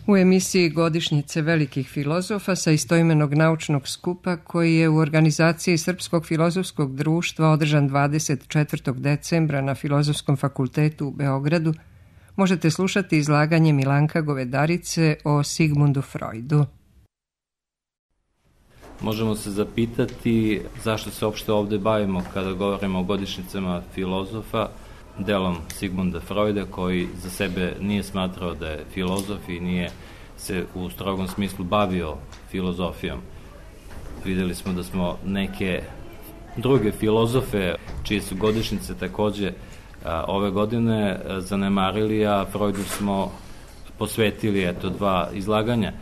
U emisiji Godišnjice velikih filozofa sa istoimenog naučnog skupa koji je u organizaciji Srpskog filozofskog društva održan 24. decembra na Filozofskom fakultetu u Beogradu, možete slušati izlaganje Milanka Govedarice o Sigmundu Freudu. Možemo se zapitati zašto se uopšte ovde bavimo kada govorimo o godišnjicama filozofa, delom Sigmunda Freuda, koji za sebe nije smatrao da je filozof i nije se u strogom smislu bavio filozofijom. Videli smo da smo neke druge filozofe, čije su godišnjice takođe ove godine zanemarili, a Freudu smo posvetili dva izlaganja.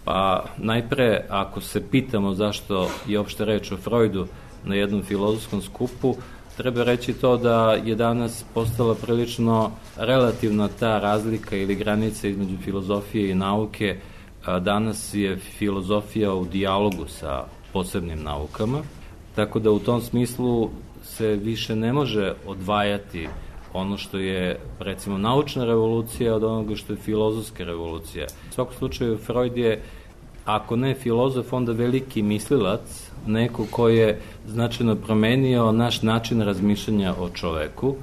Pa najpre, ako se pitamo zašto je uopšte reč o Freudu na jednom filozofskom skupu, treba reći to da je danas postala prilično relativna ta razlika ili granica između filozofije i nauke. Danas je filozofija u dijalogu sa posebnim naukama, tako da u tom smislu se više ne može odvajati ono što je, recimo, naučna revolucija od onoga što je filozofska revolucija. U svakom slučaju, Freud je, ako ne filozof, onda veliki mislilac, neko ko je značajno promenio naš način razmišljanja o čoveku,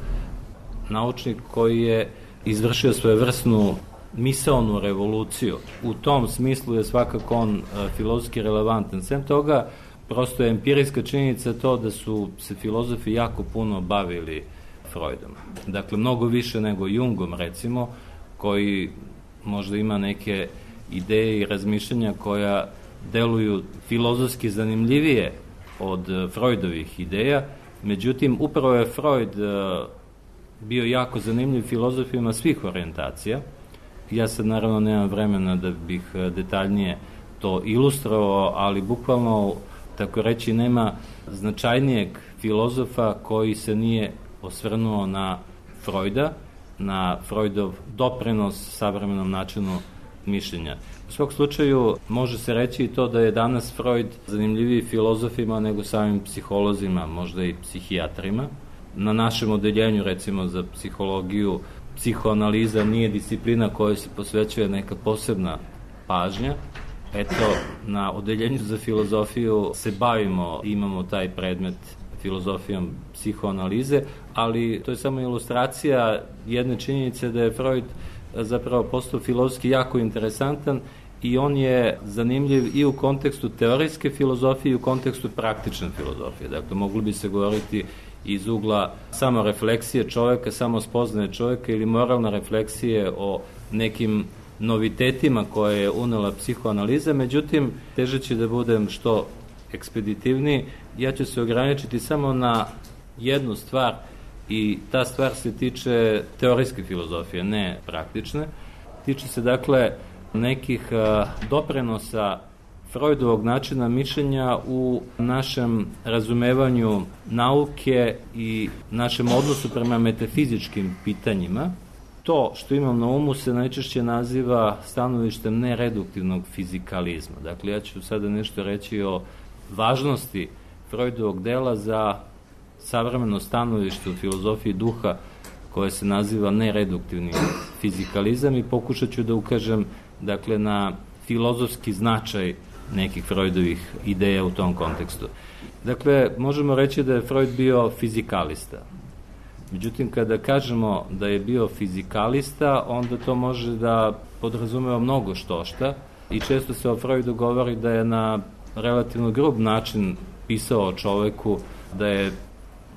naučnik koji je izvršio svojevrsnu misaonu revoluciju. U tom smislu je svakako on filozofski relevantan. Sem toga, prosto je empirijska činjenica to da su se filozofi jako puno bavili Freudom. Dakle, mnogo više nego Jungom, recimo, koji možda ima neke ideje i razmišljanja koja deluju filozofski zanimljivije od Freudovih ideja. Međutim, upravo je Freud bio jako zanimljiv filozofima svih orijentacija. Ja sad naravno nemam vremena da bih detaljnije to ilustrovao, ali bukvalno, tako reći, nema značajnijeg filozofa koji se nije osvrnuo na Freuda, na Freudov doprinos savremenom načinu mišljenja. U svog slučaju može se reći i to da je danas Freud zanimljiviji filozofima nego samim psiholozima, možda i psihijatrima. Na našem odeljenju, recimo za psihologiju, psihoanaliza nije disciplina kojoj se posvećuje neka posebna pažnja. Eto, na odeljenju za filozofiju se bavimo, imamo taj predmet filozofijom psihoanalize, ali to je samo ilustracija jedne činjenice da je Freud zapravo postao filozofski jako interesantan i on je zanimljiv i u kontekstu teorijske filozofije i u kontekstu praktične filozofije. Dakle, mogli bi se govoriti iz ugla samo refleksije čoveka, samo spoznaje čoveka ili moralne refleksije o nekim novitetima koje je unela psihoanaliza. Međutim, težeći da budem što ekspeditivniji, ja ću se ograničiti samo na jednu stvar i ta stvar se tiče teorijske filozofije, ne praktične. Tiče se, dakle, nekih doprinosa Freudovog načina mišljenja u našem razumevanju nauke i našem odnosu prema metafizičkim pitanjima. To što imam na umu se najčešće naziva stanovištem nereduktivnog fizikalizma. Dakle, ja ću sada nešto reći o važnosti Freudovog dela za savremeno stanovište u filozofiji duha koje se naziva nereduktivni fizikalizam i pokušat ću da ukažem, dakle, na filozofski značaj nekih Freudovih ideja u tom kontekstu. Dakle, možemo reći da je Freud bio fizikalista. Međutim, kada kažemo da je bio fizikalista, onda to može da podrazumeva mnogo štošta i često se o Freudu govori da je na relativno grub način pisao o čoveku, da je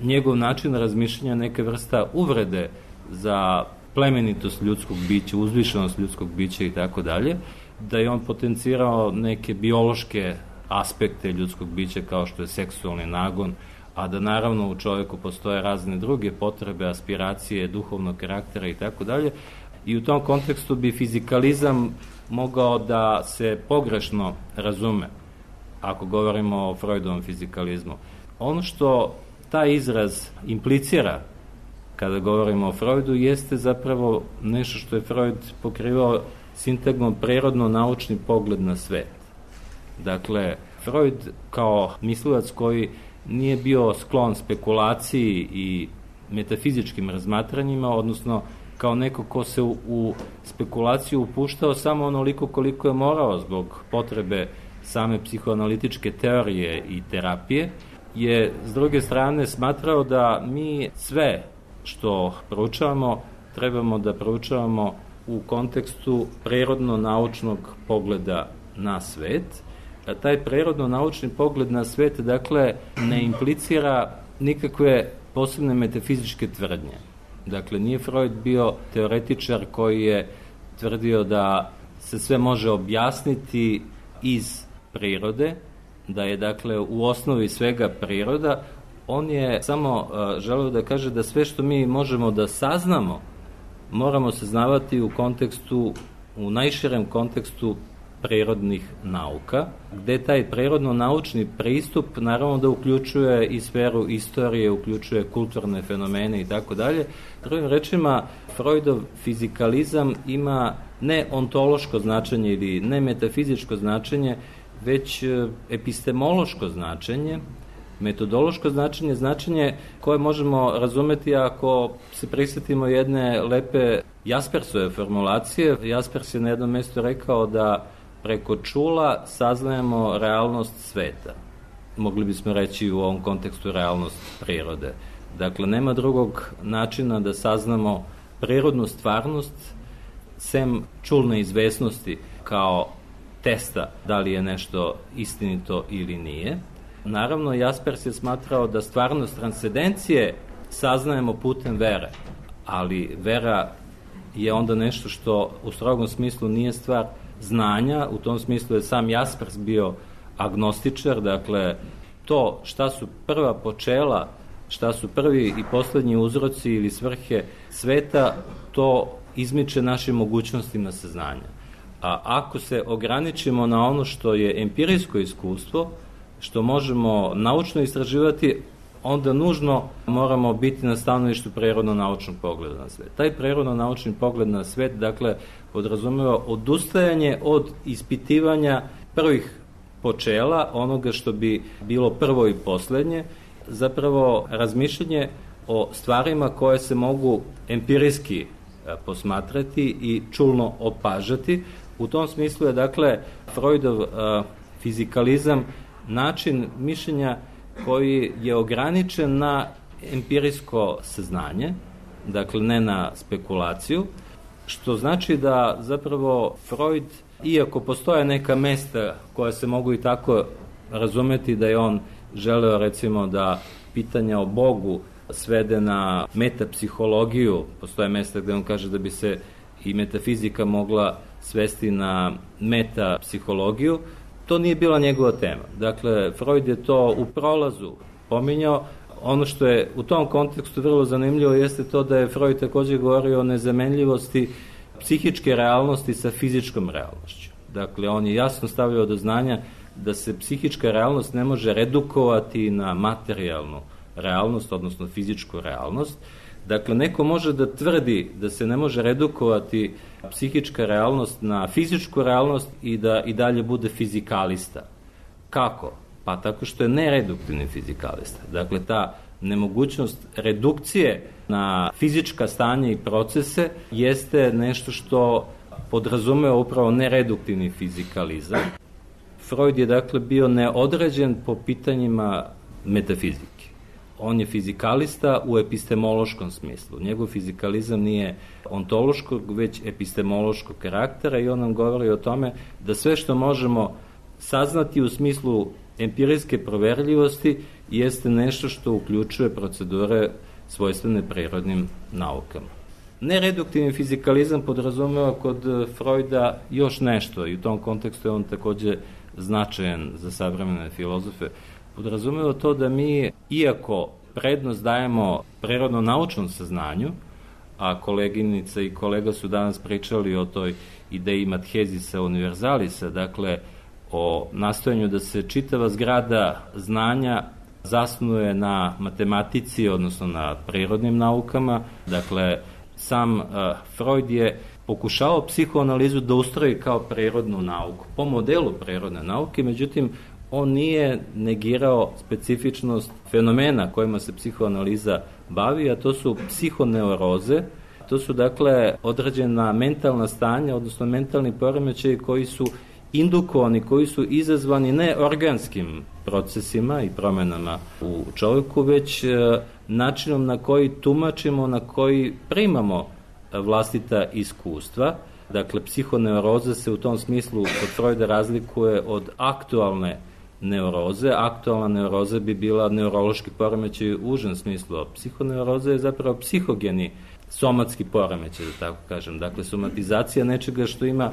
njegov način razmišljanja neka vrsta uvrede za plemenitost ljudskog bića, uzvišenost ljudskog bića i tako dalje, da je on potencirao neke biološke aspekte ljudskog bića kao što je seksualni nagon, a da naravno u čoveku postoje razne druge potrebe, aspiracije, duhovnog karaktera i tako dalje. I u tom kontekstu bi fizikalizam mogao da se pogrešno razume, ako govorimo o Freudovom fizikalizmu. Ono što taj izraz implicira kada govorimo o Freudu jeste zapravo nešto što je Freud pokrivao sintagmom prirodno-naučni pogled na svet. Dakle, Freud kao mislilac koji nije bio sklon spekulaciji i metafizičkim razmatranjima, odnosno kao neko ko se u spekulaciju upuštao samo onoliko koliko je morao zbog potrebe same psihoanalitičke teorije i terapije, je s druge strane smatrao da mi sve što proučavamo trebamo da proučavamo u kontekstu prirodno-naučnog pogleda na svet. A taj prirodno-naučni pogled na svet, dakle, ne implicira nikakve posebne metafizičke tvrdnje. Dakle, nije Freud bio teoretičar koji je tvrdio da se sve može objasniti iz prirode, da je, dakle, u osnovi svega priroda. On je samo želeo da kaže da sve što mi možemo da saznamo, moramo saznavati u najširem kontekstu prirodnih nauka, gde taj prirodno-naučni pristup naravno da uključuje i sferu istorije, uključuje kulturne fenomene i tako dalje. Drugim rečima, Freudov fizikalizam ima ne ontološko značenje ili ne metafizičko značenje, već epistemološko značenje, metodološko značenje koje možemo razumeti ako se prisjetimo jedne lepe Jaspersove formulacije. Jaspers je na jednom mjestu rekao da preko čula saznajemo realnost sveta. Mogli bismo reći u ovom kontekstu realnost prirode. Dakle, nema drugog načina da saznamo prirodnu stvarnost sem čulne izvesnosti kao testa da li je nešto istinito ili nije. Naravno, Jaspers je smatrao da stvarnost transcendencije saznajemo putem vere, ali vera je onda nešto što u strogom smislu nije stvar znanja. U tom smislu je sam Jaspers bio agnostičar, dakle, to šta su prva počela, šta su prvi i poslednji uzroci ili svrhe sveta, to izmiče našim mogućnostima saznanja. A ako se ograničimo na ono što je empirijsko iskustvo, što možemo naučno istraživati, onda nužno moramo biti na stanovištu prirodno-naučnog pogleda na svet. Taj prirodno-naučni pogled na svet, dakle, podrazumeva odustajanje od ispitivanja prvih počela, onoga što bi bilo prvo i poslednje, zapravo razmišljanje o stvarima koje se mogu empirijski posmatrati i čulno opažati. U tom smislu je, dakle, Freudov fizikalizam način mišljenja koji je ograničen na empirijsko saznanje, dakle ne na spekulaciju, što znači da zapravo Freud, iako postoje neka mesta koja se mogu i tako razumeti da je on želeo, recimo, da pitanja o Bogu svede na metapsihologiju, postoje mesta gde on kaže da bi se i metafizika mogla svesti na metapsihologiju, to nije bila njegova tema. Dakle, Freud je to u prolazu pominjao. Ono što je u tom kontekstu vrlo zanimljivo jeste to da je Freud takođe govorio o nezamenljivosti psihičke realnosti sa fizičkom realnošću. Dakle, on je jasno stavljao do znanja da se psihička realnost ne može redukovati na materijalnu realnost, odnosno fizičku realnost. Dakle, neko može da tvrdi da se ne može redukovati psihička realnost na fizičku realnost i da i dalje bude fizikalista. Kako? Pa tako što je nereduktivni fizikalista. Dakle, ta nemogućnost redukcije na fizička stanja i procese jeste nešto što podrazumeva upravo nereduktivni fizikalizam. Freud je, dakle, bio neodređen po pitanjima metafizike. On je fizikalista u epistemološkom smislu. Njegov fizikalizam nije ontološkog, već epistemološkog karaktera i on nam govori o tome da sve što možemo saznati u smislu empirijske proverljivosti jeste nešto što uključuje procedure svojstvene prirodnim naukama. Nereduktivni fizikalizam podrazumeva kod Freuda još nešto i u tom kontekstu je on takođe značajan za savremene filozofe. Podrazumeva to da mi, iako prednost dajemo prirodno-naučnom saznanju, a koleginica i kolega su danas pričali o toj ideji Matthesisa univerzalisa, dakle o nastojanju da se čitava zgrada znanja zasnuje na matematici, odnosno na prirodnim naukama. Dakle, sam Freud je pokušao psihoanalizu da ustroji kao prirodnu nauku, po modelu prirodne nauke, međutim, on nije negirao specifičnost fenomena kojima se psihoanaliza bavi, a to su psihoneuroze, To su dakle određena mentalna stanja, odnosno mentalni poremećaji koji su indukovani, koji su izazvani ne organskim procesima i promenama u čovjeku, već načinom na koji tumačimo, na koji primamo vlastita iskustva. Dakle, psihoneuroza se u tom smislu kod Freuda razlikuje od aktualne neuroze. Aktualna neuroza bi bila neurološki poremećaj u užem smislu, a psihoneuroza je zapravo psihogeni somatski poremećaj, da tako kažem. Dakle, somatizacija nečega što ima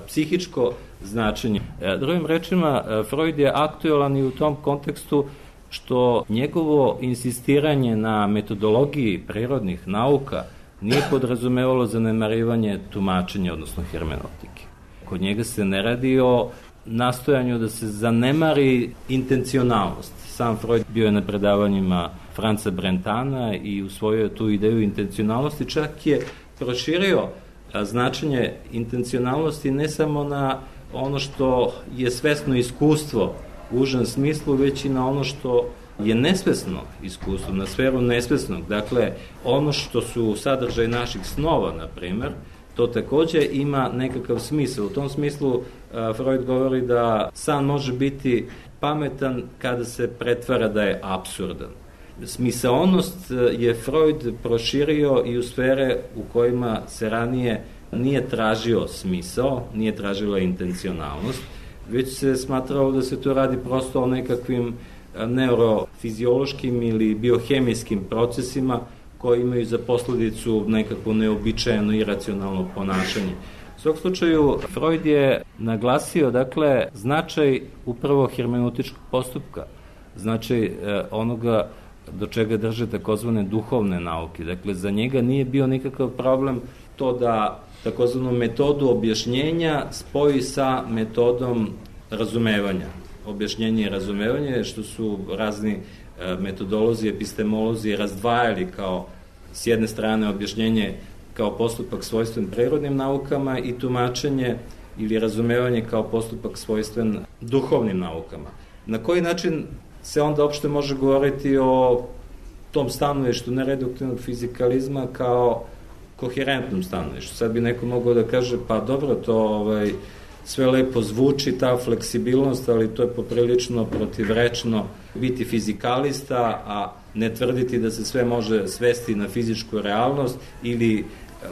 psihičko značenje. Drugim rečima, Freud je aktualan i u tom kontekstu što njegovo insistiranje na metodologiji prirodnih nauka nije podrazumevalo zanemarivanje tumačenja, odnosno hermenotike. Kod njega se ne radi o nastojanju da se zanemari intencionalnost. Sam Freud bio je na predavanjima Franca Brentana i usvojio tu ideju intencionalnosti, čak je proširio značenje intencionalnosti ne samo na ono što je svesno iskustvo u užem smislu, već i na ono što je nesvesno iskustvo, na sferu nesvesnog. Dakle, ono što su sadržaj naših snova, na primer, to takođe ima nekakav smisao. U tom smislu Freud govori da san može biti pametan kada se pretvara da je apsurdan. Smisaonost je Freud proširio i u sfere u kojima se ranije nije tražio smisao, nije tražila intencionalnost, već se smatralo da se to radi prosto o nekakvim neurofiziološkim ili biohemijskim procesima koji imaju za posledicu nekako neobičajeno iracionalno ponašanje. U svog slučaju, Freud je naglasio, dakle, značaj upravo hermeneutičkog postupka, značaj onoga do čega drže takozvane duhovne nauke. Dakle, za njega nije bio nikakav problem to da takozvanu metodu objašnjenja spoji sa metodom razumevanja. Objašnjenje i razumevanje, što su razni metodolozi, epistemolozi razdvajali kao s jedne strane objašnjenje kao postupak svojstven prirodnim naukama i tumačenje ili razumevanje kao postupak svojstven duhovnim naukama. Na koji način se onda uopšte može govoriti o tom stanovištu nereduktivnog fizikalizma kao koherentnom stanovištu? Sad bi neko mogao da kaže, pa dobro, to sve lepo zvuči, ta fleksibilnost, ali to je poprilično protivrečno biti fizikalista, a ne tvrditi da se sve može svesti na fizičku realnost ili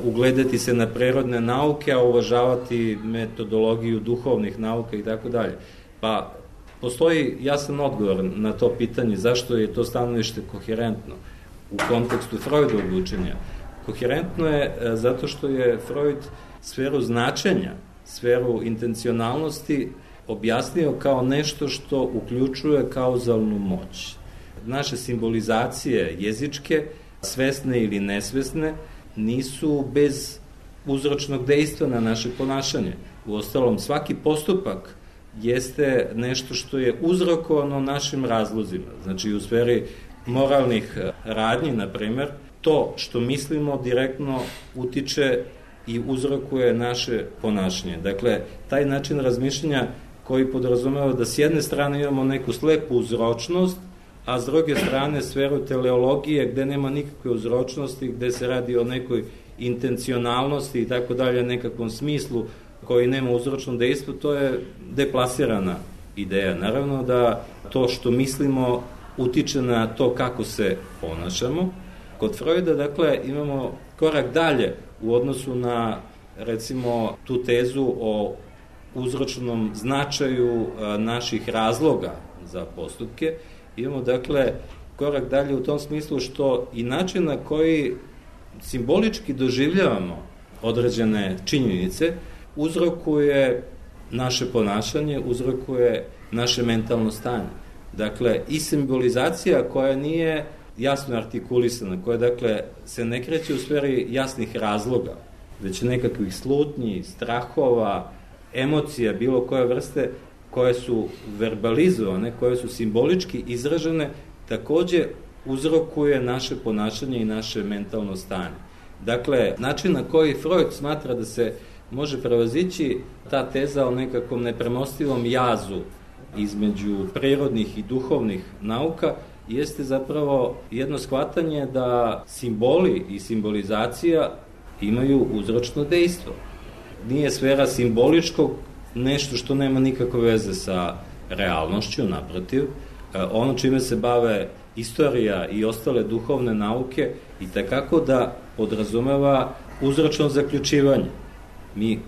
ugledati se na prirodne nauke, a uvažavati metodologiju duhovnih nauka i tako dalje. Pa postoji jasan odgovor na to pitanje zašto je to stanovište koherentno u kontekstu Freudovog učenja. Koherentno je zato što je Freud sferu značenja, sferu intencionalnosti objasnio kao nešto što uključuje kauzalnu moć. Naše simbolizacije jezičke, svesne ili nesvesne, nisu bez uzročnog dejstva na naše ponašanje. Uostalom, svaki postupak jeste nešto što je uzrokovano našim razlozima. Znači, u sferi moralnih radnji, na primer, to što mislimo direktno utiče i uzrokuje naše ponašanje. Dakle, taj način razmišljanja koji podrazumeva da s jedne strane imamo neku slepu uzročnost, a s druge strane sferu teleologije gde nema nikakve uzročnosti, gde se radi o nekoj intencionalnosti i tako dalje, nekakvom smislu koji nema uzročno dejstvo, to je deplasirana ideja. Naravno da to što mislimo utiče na to kako se ponašamo. Kod Freuda, dakle, imamo korak dalje u odnosu na, recimo, tu tezu o uzročnom značaju naših razloga za postupke. Imamo, dakle, korak dalje u tom smislu što i način na koji simbolički doživljavamo određene činjenice uzrokuje naše ponašanje, uzrokuje naše mentalno stanje. Dakle, i simbolizacija koja nije jasno artikulisana, koja, dakle, se ne kreće u sferi jasnih razloga, već nekakvih slutnji, strahova, emocija, bilo koje vrste, koje su verbalizovane, koje su simbolički izražene, takođe uzrokuje naše ponašanje i naše mentalno stanje. Dakle, način na koji Freud smatra da se može prevazići ta teza o nekakvom nepremostivom jazu između prirodnih i duhovnih nauka jeste zapravo jedno shvatanje da simboli i simbolizacija imaju uzročno dejstvo. Nije sfera simboličkog nešto što nema nikakve veze sa realnošću, naprotiv. Ono čime se bave istorija i ostale duhovne nauke i takako da podrazumeva uzročno zaključivanje. Mi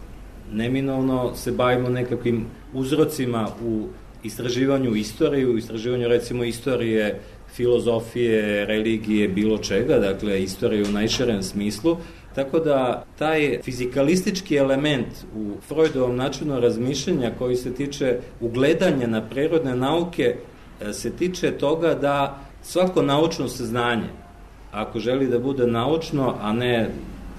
neminovno se bavimo nekakvim uzrocima u istraživanju istorije, u istraživanju recimo istorije, filozofije, religije, bilo čega, dakle istorije u najširem smislu, tako da taj fizikalistički element u Freudovom načinu razmišljanja koji se tiče ugledanja na prirodne nauke se tiče toga da svako naučno saznanje, ako želi da bude naučno, a ne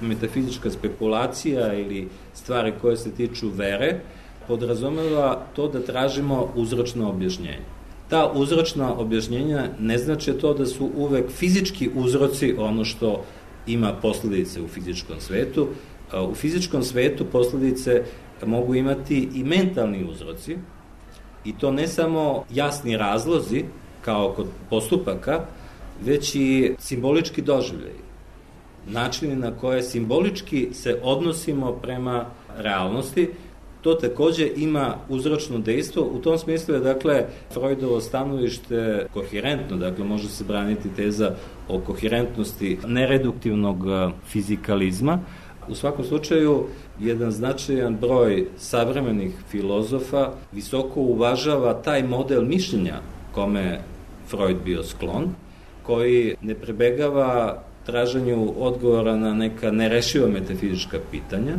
metafizička spekulacija ili stvari koje se tiču vere, podrazumeva to da tražimo uzročno objašnjenje. Ta uzročna objašnjenja ne znači to da su uvek fizički uzroci ono što ima posledice u fizičkom svetu. U fizičkom svetu posledice mogu imati i mentalni uzroci, i to ne samo jasni razlozi, kao kod postupaka, već i simbolički doživljaj. Načini na koje simbolički se odnosimo prema realnosti, to takođe ima uzročno dejstvo. U tom smislu je, dakle, Freudovo stanovište koherentno, dakle, može se braniti teza o koherentnosti nereduktivnog fizikalizma. U svakom slučaju, jedan značajan broj savremenih filozofa visoko uvažava taj model mišljenja kome Freud bio sklon, koji ne prebegava traženju odgovora na neka nerešiva metafizička pitanja.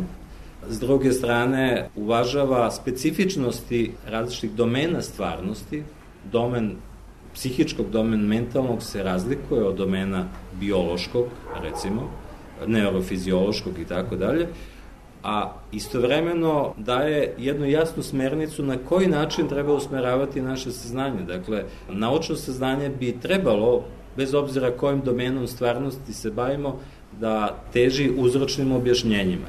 S druge strane, uvažava specifičnosti različitih domena stvarnosti. Domen psihičkog, domen mentalnog se razlikuje od domena biološkog, recimo, neurofiziološkog i tako dalje, a istovremeno daje jednu jasnu smernicu na koji način treba usmeravati naše saznanje. Dakle, naučno saznanje bi trebalo, bez obzira kojim domenom stvarnosti se bavimo, da teži uzročnim objašnjenjima.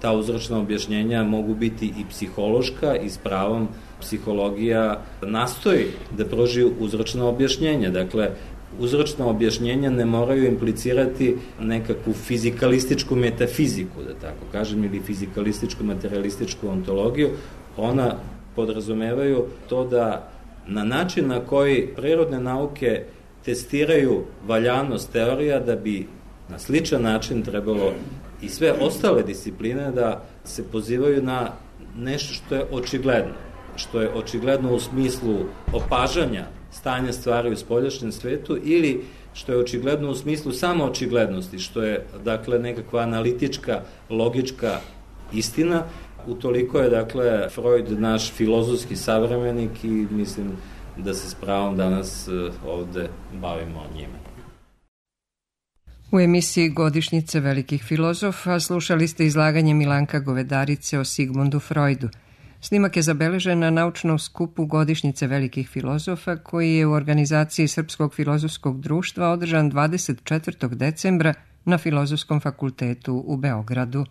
Ta uzročna objašnjenja mogu biti i psihološka, i s pravom psihologija nastoji da pruži uzročna objašnjenja. Dakle, uzročna objašnjenja ne moraju implicirati nekakvu fizikalističku metafiziku, da tako kažem, ili fizikalističku materialističku ontologiju. Ona podrazumevaju to da na način na koji prirodne nauke testiraju valjanost teorija, da bi na sličan način trebalo i sve ostale discipline da se pozivaju na nešto što je očigledno. Što je očigledno u smislu opažanja stanja stvari u spoljašnjem svetu, ili što je očigledno u smislu samo očiglednosti, što je, dakle, nekakva analitička, logička istina. Utoliko je, dakle, Freud naš filozofski savremenik i mislim da se s pravom danas ovde bavimo o njime. U emisiji Godišnjice velikih filozofa slušali ste izlaganje Milanka Govedarice o Sigmundu Freudu. Snimak je zabeležen na naučnom skupu Godišnjice velikih filozofa koji je u organizaciji Srpskog filozofskog društva održan 24. decembra na Filozofskom fakultetu u Beogradu.